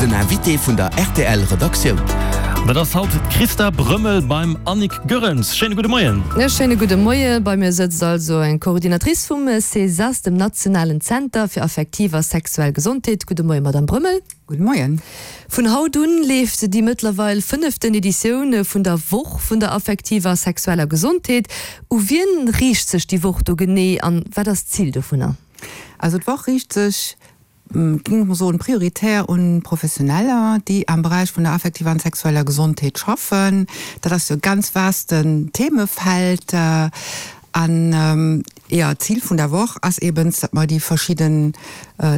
Den Invité vun der rtl Redaktioun. An dat ass haut d'Christa Brömmel beim Annick Goerens. Schéine gudde Moien. E schéine gudde Moie. Bei mir sëtzt also eng Coordinatrice vum CESAS, dem nationalen Zenter fir affektiv a sexuell Gesondheet. Gudde Moie, Madamm Brömmel. Gudde Moien. Vun haut un leeft déi mëttlerweil fënneften Editioun vun der Woch vun der affektiver a sexueller Gesondheet. U wien riicht sech déi Woch do genee an wat ass d'Zil dovunner? Also d'Woch riicht sech, géing ech mol soen, prioritär un Professioneller, déi am Beräich vun der affektiver an sexueller Gesondheet schaffen. Dat ass jo e ganz vasten Themefeld. An, jo, d'Zil vun der Woch ass eben, datt mer déi verschidden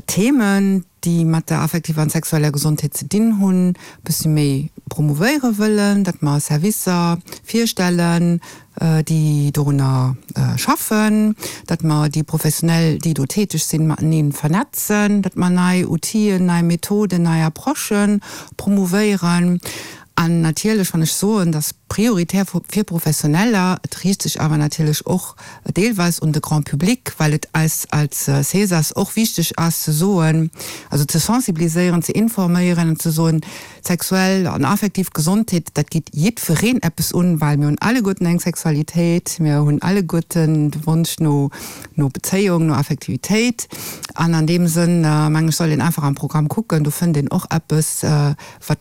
Themen, déi mat der affektiver an sexueller Gesondheet ze dinn hunn, e bëssi méi promouvéiere wëllen, datt mer Servicer virstellen, déi dorunner schaffen, datt mer déi Professionell, déi do täteg sinn, matenee vernetzen, datt mer nei Outiller, nei Methoden, nei Approchë promouvéieren. An natierlech, wann ech soen, dass prioritär fir Professioneller, et riicht sech awer natierlech och deelweis un de Grand public, well et eis als CESAS och wichteg ass ze soen, also ze sensibiliséieren, ze informéieren an ze soen, sexuell an affektiv Gesondheet, dat geet jiddwereen eppes un, well mir hunn alleguerten eng Sexualitéit, mir hunn alleguerten de Wonsch no no Bezéiung, no Affektivitéit. An an deem Sënn, meng ech, soll een einfach am Programm kucken, do fënnt een och eppes, wat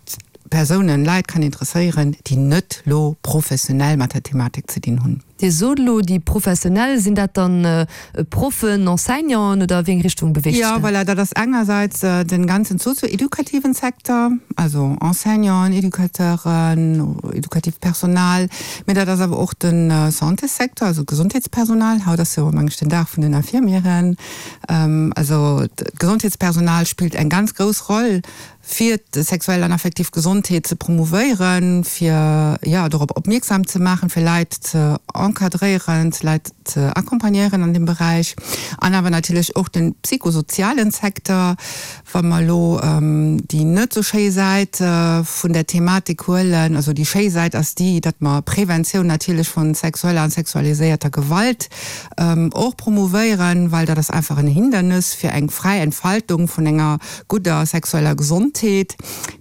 Persounen, Leit kann interesséieren, déi net lo professionell mat der Thematik ze dinn hunn. Dir sot elo déi Professionell, sinn dat dann Proffen, Enseignanten oder a wéi eng Richtung beweegt sech dat? Jo, voilà, dat ass engersäits den ganzen sozio-edukativen Secteur, also Enseignanten, Educateuren, edukatiivt Personal, mee dat ass awer och de Santéssecteur, also d'Gesondheetspersonal. Haut ass jo, meng ech, den Dag vun den Infirmieren. Also d'Gesondheetspersonal spillt eng ganz grouss Roll fir d'sexuell an affektiv Gesondheet ze promouvéieren, fir, jo, dorop opmierksam ze maachen, fir Leit ze encadréieren, Leit ze accompagnéieren an deem Beräich. An awer natierlech och de psychosozialen Secteur, wa mer elo déi net esou schéi Säit vun der Thematik huelen. Also déi schéi Säit ass déi, datt mer Preventioun natierlech vu sexueller an sexualiséierter Gewalt och promouvéieren, well dat ass einfach en Hindernis fir eng fräi Entfaltung vun enger gudder sexueller Gesondheet,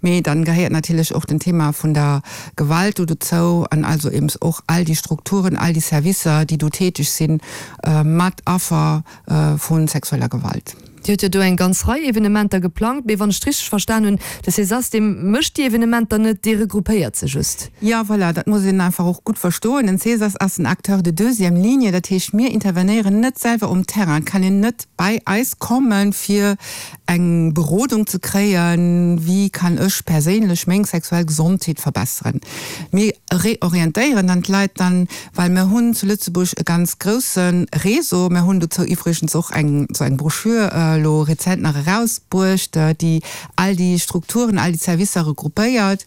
mee dann gehéiert natierlech och den Thema vun der Gewalt do dozou an also eben och all déi Strukturen, all déi Servicer, déi do täteg sinn mat Affer vu sexueller Gewalt. Dir hutt jo do eng ganz Rei Evenementer geplangt, mee wann ech et richteg verstan hunn, de Cesas, dee mécht déi Evenementer net, dee regroupéiert se just. Jo, voilà, dat muss een einfach och gutt verstoen. Den Cesas ass en Acteur de deuxième ligne, dat heescht, mir intervenéieren net selwer um Terrain. Et kann een net bei eis kommen, fir eng Berodung ze kréien, wéi kann ech perséinlech meng sexuell Gesondheet verbesseren. Mir reorientéieren dann d'Leit dann, well mir hunn zu Lëtzebuerg e ganz grousse Réseau. Mir hunn dozou iwwregens och eng esou eng Broschür elo rezent nach erausbruecht, déi all déi Strukturen, all déi Servicer regroupéiert.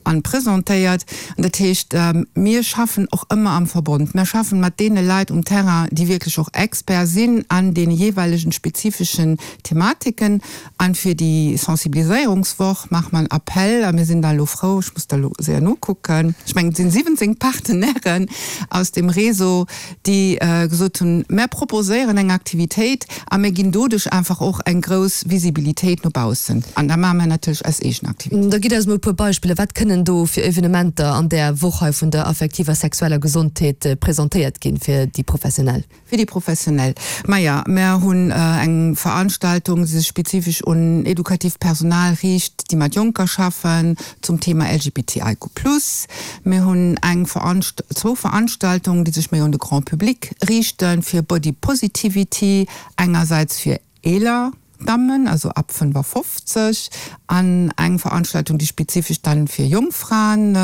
An presentéiert. An dat heescht, mir schaffen och ëmmer am Verbond. Mir schaffen mat deene Leit um Terrain, déi wierklech och Expert sinn an deene jeeweilegen spezifeschen Thematiken. An fir déi Sensibiliséierungswoch maache mer en Appell a mir sinn da elo frou, ech muss da elo séier nokucken, ech mengen et sinn 17 Partenairen aus dem Réseau, déi gesot hunn, Mär proposéieren eng Aktivitéit a mir ginn doduerch einfach och eng grouss Visibilitéit no baussen. An da maache mir natierlech eis eegen Aktivitéit. Da gitt eis mol e puer Beispiller, Wat kënnen do fir Evenementer an där Woch hei vun der affektiver sexueller Gesondheet presentéiert ginn fir déi Professionell? Fir déi Professionell, maja, mär hunn eng Veranstaltung, déi sech spezifesch un edukatiivt Personal riicht, déi mat Jonker schaffen, zum Thema LGBTIQ+. Mir hunn eng Veranst zwou Veranstaltungen, déi sech méi un de Grand public riichten, fir Body Positivity, engersäits fir eeler Dammen, also ab 55, an eng Veranstaltung, déi spezifesch dann fir jonk Fraen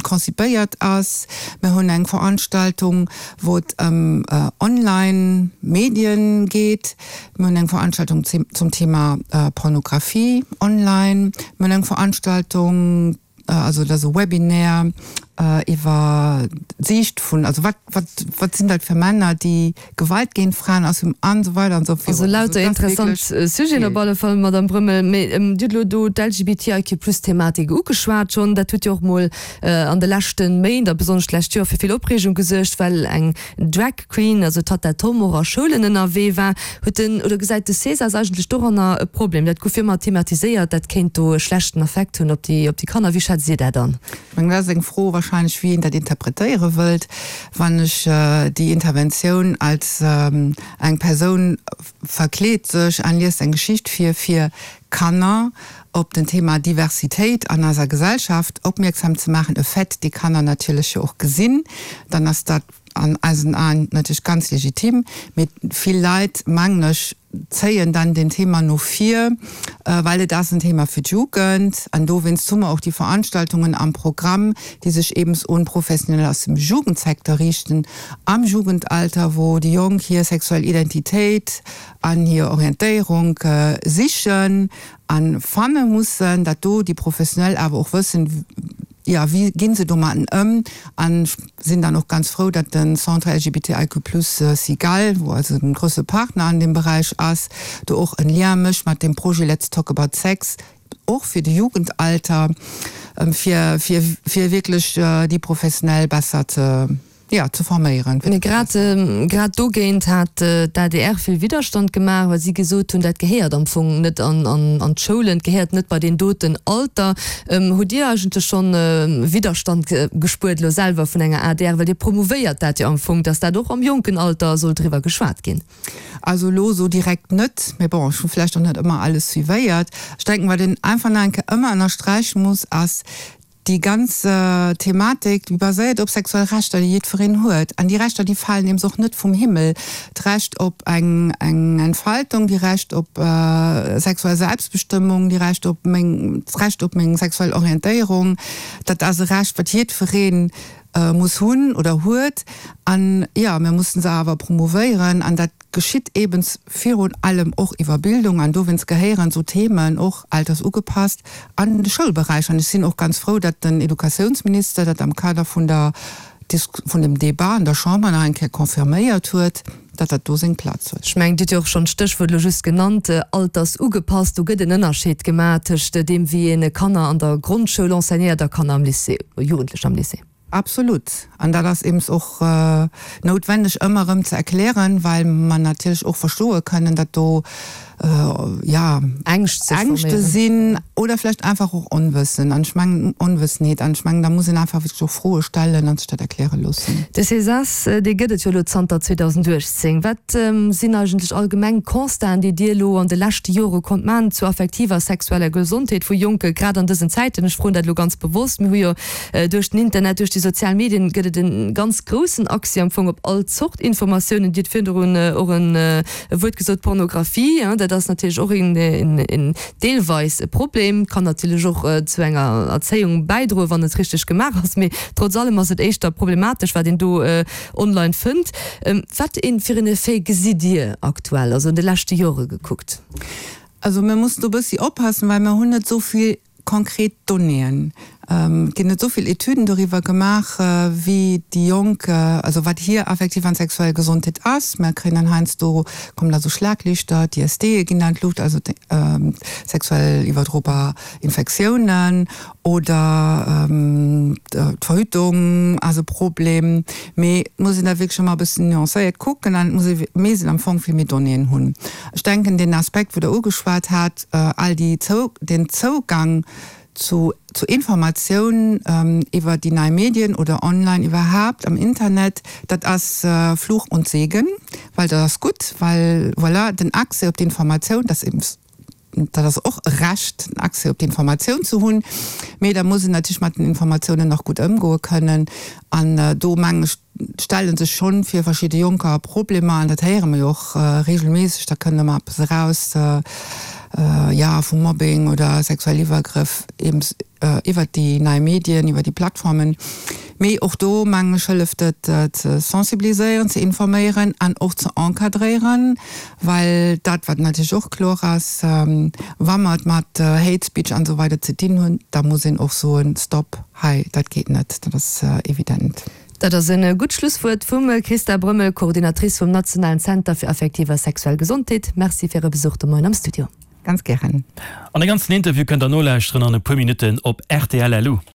konzipéiert ass. Mir hunn eng Veranstaltung, wou et ëm online Medien geet. Mir hunn eng Veranstaltung zum Thema Pornografie online. Mir hunn eng Veranstaltung, also dat ass e Webinaire. Iwwer d'Siicht vun, also wat, wat, wat sinn dat fir Männer, déi Gewalt géint Fraen ausüben an esou weider an esou virun. Also lauter interessant Sujeten op alle Fall, Madamm Brömmel. Mee Dir hutt elo do d'LGBTIQ-Plus-Thematik ugeschwat schonn. Dat huet jo och mol an de leschte Méint a besonnesch d'lescht Joer fir vill Opreegung gesuergt, well eng Drag Queen, also d'Tatta Tom, och a Schoulen ënnerwee war. Huet den, oder gesäit de Cesas eigentlech doranner e Problem? Dat gouf jo ëmmer thematiséiert, dat kéint do e schlechten Affekt hunn op déi, op déi Kanner. Wéi schätzt Dir dat an? Ech mengen, dat ass eng Fro wahrscheinlech, wéi een dat interpretéiere wëllt. Wann ech déi Interventioun als eng Persoun verkleet sech an liest eng Geschicht vir, fir Kanner op den Thema Diversitéit an eiser Gesellschaft opmierksam ze maachen, e Fait, dee Kanner natierlech jo och gesinn, dann ass dat an eisen Aen natierlech ganz legitim. Mee vill Leit, mengen ech, zéien dann den Thema no vir, well et ass en Thema fir d'Jugend. An dowéinst hu mer och déi Veranstaltungen am Programm, déi sech eben un Professioneller aus dem Jugendsecteur riichten, am Jugendalter, wou déi Jonk hir sexuell Identitéit an hir Orientéierung sichen a fanne mussen, dat do déi Professionell awer och wëssen, jo, wéi gi se domatten ëm. An ech sinn dann och ganz frou, datt de Centre LGBTIQ plus Cigale, wou eise grousse Partner an deem Beräich ass, do och en Lien mécht mat deem Projet Let's Talk About Sex, och fir de Jugendalter, fir, fir, fir wierklech déi Professionell besser ze, jo, ze forméieren. Mee grad, grad dogéint hat d'ADR vill Widderstand gemaach, well si gesot hunn, dat gehéiert am Fong net an, an, an d'Schoulen, et gehéiert net bei deen doten Alter. Hutt Dir eigentlech schonn Widderstand gespuert elo selwer vun enger adr, well Dir promouvéiert dat jo am Fong, datt dat och am jonken Alter soll driwwer geschwat ginn? Also elo esou direkt net, mee bon, ech hu vläicht och net ëmmer alles suivéiert. Ech denken, wat een einfach nach eng Kéier ëmmer ënnersträiche muss, ass, Déi ganz Thematik, déi baséiert op sexuell Rechter, déi jiddwereen huet. An déi Rechter, déi falen eems och net vum Himmel. D'Recht op eng Entfaltung, déi Recht op sexuell Selbstbestëmmung, déi Recht op meng, d'Recht op meng sexuell Orientéierung, dat ass e Recht, wat jiddweree muss hunn oder huet. An jo, mir mussen se awer promouvéieren. An dat geschitt eebens virun allem och iwwer Bildung. An dowéinst gehéieren esou Themen och altersugepasst an de Schoulberäich. An ech sinn och ganz frou, datt den Educatiounsminister dat am Kader vun der vun dem Débat an der Chamber nach eng Kéier confirméiert huet, datt dat do seng Plaz huet. Ech mengen, Dir hutt jo och schonn d'Stéchwuert elo just genannt, altersugepasst. Do gëtt en Ënnerscheed gemaach tëscht deem, wéi ee Kanner an der Grondschoul enseignéiert a Kanner am Lycée, Jugendlecher am Lycée. Absolut. An dat ass eems och noutwenneg ëmmer erëm ze erklären, well mer natierlech och verstoe kënnen, datt do, jo, Ängschte sinn oder vläicht einfach och Onwëssen. An ech mengen, Onwëssenheet. An ech mengen, da muss een einfach wierklech och Froe stellen a sech dat erkläre loossen. De Cesas, dee gëtt et jo elo zanter 2018. Wat sinn eigentlech allgemeng Constaten, déi Dir elo an de leschte Jore konnt maachen zur affektiver a sexueller Gesondheet vu Jonke, grad an dësen Zäiten? Ech froen dat elo ganz bewosst. Mir hu jo Duerch den Internet, duerch déi sozial Medien gëtt et e ganz groussen Accès am Fong op all Zort Informatiounen. Dir hutt virdrun och e Wuert gesot, Pornografie, dat ass natierlech och een deelweis e Problem, kann natierlech och zu enger Erzéiung bäidroen, wann et richteg gemaach ass, mee trotz allem ass et éischter problematesch, wat een do online fënnt. Wat fir en Effet gesitt Dir aktuell, also an de leschte Jore gekuckt? Also mir mussen do e bëssi oppassen, well mir hunn net esou vill Konkret Donnéeën. Et ginn net esou vill Etüden doriwwer gemaach, wéi déi Jonk, also wat hir affektiv an sexuell Gesondheet ass. Mer kréien dann heiansdo, kommen da sou Schlaglichter, d'ISDe ginn an d'Luucht, also sexuell iwwerdrobar Infektiounen oder d'Verhütung ass e Problem. Mee et muss een dat wierklech ëmmer e bëssen nuancéiert kucken an et muss ee, misst een am Fong vill méi Donnéeën hunn. Ech denken, deen Aspekt, wou Der ugeschwat hat, all déi den Zougang zu zu Informatioun iwwer déi nei Medien oder online iwwerhaapt am Internet, dat ass Fluch und Segen, well dat ass gutt, well voilà, den Accès op d'Informatioun, dat ass eben, dat ass och e Recht, den Accès op d'Informatioun ze hunn, mee da muss een natierlech mat den Informatiounen och gutt ëmgoe kënnen an do mengen ech, stelle sech schonn fir verschidde Jonker Problemer, an dat héiere mer jo och regelméisseg, da kënnt ëmmer eppes eraus, jo, vu Mobbing oder sexuell Iwwergrëff. iwwert déi nei Medien, iwwer déi Plattformen. Mee och do, mengen ech, hëlleft et ze sensibiliséieren, ze informéieren an och ze encadréieren, well dat, wat natierlech och kloer ass, wa mer et mat Hate Speech an esou weider ze dinn hunn, da muss een och soen, Stop, hei, dat geet net. Dat ass evident. Dat ass e gutt Schlusswuert vum Christa Brömmel, Coordinatrice vum Nationalen Zenter fir affektiv a sexuell Gesondheet. Merci fir Äre Besuch de Moien am Studio. Ganz gären. An de ganzen Interview kënnt der nolauschteren an e puer Minutten op rtl. Lu.